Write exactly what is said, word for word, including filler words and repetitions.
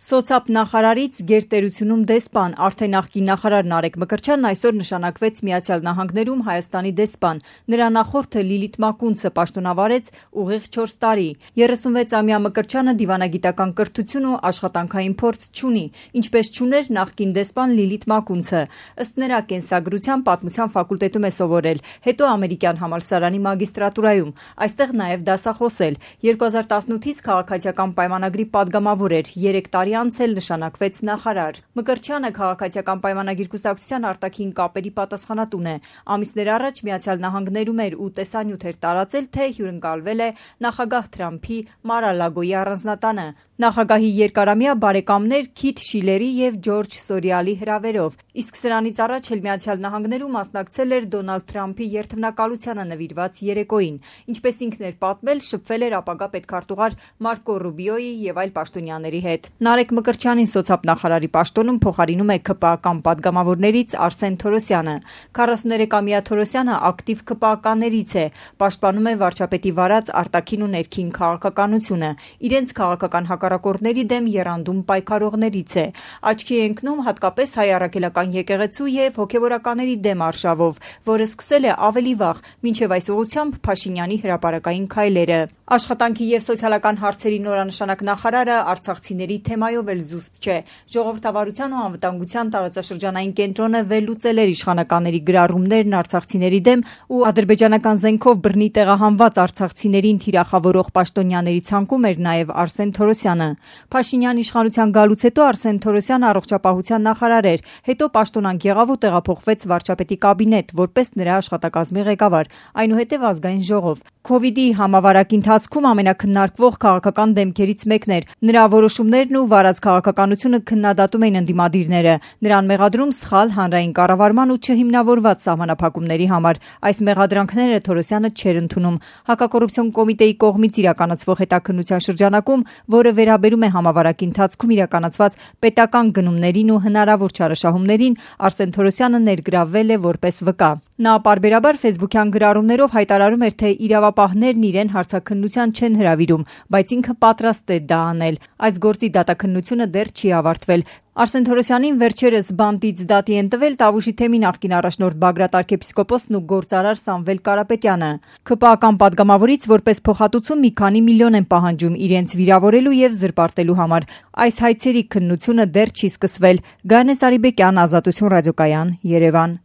Սոցապ նախարարից գերտերությունում դեսպան, արդեն նախկին նախարար Նարեկ Մկրտչյանն այսօր նշանակվեց Միացյալ Նահանգներում Հայաստանի դեսպան։ Նրա նախորդը Լիլիթ Մակունցը պաշտոնավարեց ուղիղ չորս տարի։ երեսունվեցամյա Մկրտչյանը դիվանագիտական կրթություն ու աշխատանքային փորձ չունի, ինչպես չուներ նախկին դեսպան Լիլիթ Մակունցը։ Ըստ նրա կենսագրության պատմության ֆակուլտետում է սովորել, հետո ամերիկյան համալսարանի մագիստրատուրայում, այստեղ նաև դասախոսել։ երկու հազար տասնութից քաղաքացիական պայմանագրի падգամավոր էր, երեք տարի անց էլ նշանակվեց նախարար։ Մկրտչյանը քաղաքացիական պայմանագիր կուսակցության արտաքին կապերի պատասխանատուն է։ Ամիսներ առաջ Միացյալ Նահանգներում էր ու տեսանյութ էր տարածել, թե հյուրընկալվել է նախագահ Թրամփի Մար-a-Լագոյի առանձնատանը։ Նախագահի երկարամյա բարեկամներ Քիթ Շիլերի և Ջորջ Սորիալի հրավերով, իսկ սրանից առաջ էլ Միացյալ Նահանգներում մասնակցել էր Դոնալդ Թրամփի երդմնակալությանը նվիրված երեկոյին։ Ինչպես ինքն էր պատմել, շփվել էր ապագա պետքարտուղար Մարկո Ռուբիոյի և այլ պաշտոնյաների հետ։ Նարեկ Մկրտչյանին սոցապ նախարարի պաշտոնում փոխարինում է ՔՊԱ-կան падգամավորներից Արսեն Թորոսյանը։ քառասուներեքամյա Թորոսյանը ակտիվ ՔՊԱ-ականներից է, պաշտպանում է վարչապետի վարած արտաքին ու ներքին քաղաքականությունը, իրենց քաղաքական հակառակորդների դեմ եռանդում պայքարողներից է։ Աչքի է ընկնում հատկապես Հայ առաքելական եկեղեցու և հոգևորականների դեմ արշավով, որը սկսել է ավելի վաղ, մինչև այս ուղղությամբ Փաշինյանի հրապարակային քայլերը։ Աշխատանքի և սոցիալական հարցերի նորանշանակ նախարարը արցախցիների թեմայով էլ զուսպ չէ։ Ժողովրդավարության ու անվտանգության տարածաշրջանային կենտրոնը վերլուծել էր իշխանականների գրառումներն արցախցիների դեմ ու ադրբեջանական զենքով բռնի տեղահանված արցախցիներին թիրախավորող պաշտոնյաների ցանկում էր նաև Արսեն Թորոսյանը։ Փաշինյան իշխանության գալուց հետո Արսեն Թորոսյանը առողջապահության նախարար էր, հետո պաշտոնանկ եղավ ու տեղափոխվեց վարչապետի կաբինետ, որպես նրա աշխատակազմի ղեկավար, այնուհետև ազգային ժողով։ Քովիդի համավարակի ընթացքում ամենաքննարկվող քաղաքական դեմքերից մեկն էր։ Նրա որոշումներն ու վարած քաղաքականությունը քննադատում էին ընդդիմադիրները, նրան մեղադրում սխալ հանրային կառավարման ու չհիմնավորված սահմանափակումների համար։ Այս մեղադրանքները Թորոսյանը չէր ընդունում։ Հակակոռուպցիոն կոմիտեի կողմից իրականացվող հետաքննության շրջանակում, որը վերաբերում է համավարակի ընթացքում իրականացված պետական գնումներին ու հնարավոր չարաշահումներին, Արսեն Թորոսյանը ներգրավվել է որպես վկա։ Նա պարբերաբար ֆեյսբուքյան գրառումներով հայտարարում էր, թե իրավապահներն իրեն հարցաքննության չեն հրավիրում, բայց ինքը պատրաստ է դա անել։ Այս գործի դատաքննությունը դեռ չի ավարտվել։ Արսեն Թորոսյանին վերջերս բանտից դատի են տվել Տավուշի թեմի նախկին առաջնորդ Բագրատ արքեպիսկոպոսն ու գործարար Սամվել Կարապետյանը։ ՔՊԱ-կան падգամավորից որպես փոխհատուցում մի քանի միլիոն են պահանջում իրենց վիրավորելու և զրպարտելու համար։ Այս հայցերի քննությունը դեռ չի սկսվել։ Գայանե Սարիբեկյան, Ազատություն ռադիոկայան, Երևան։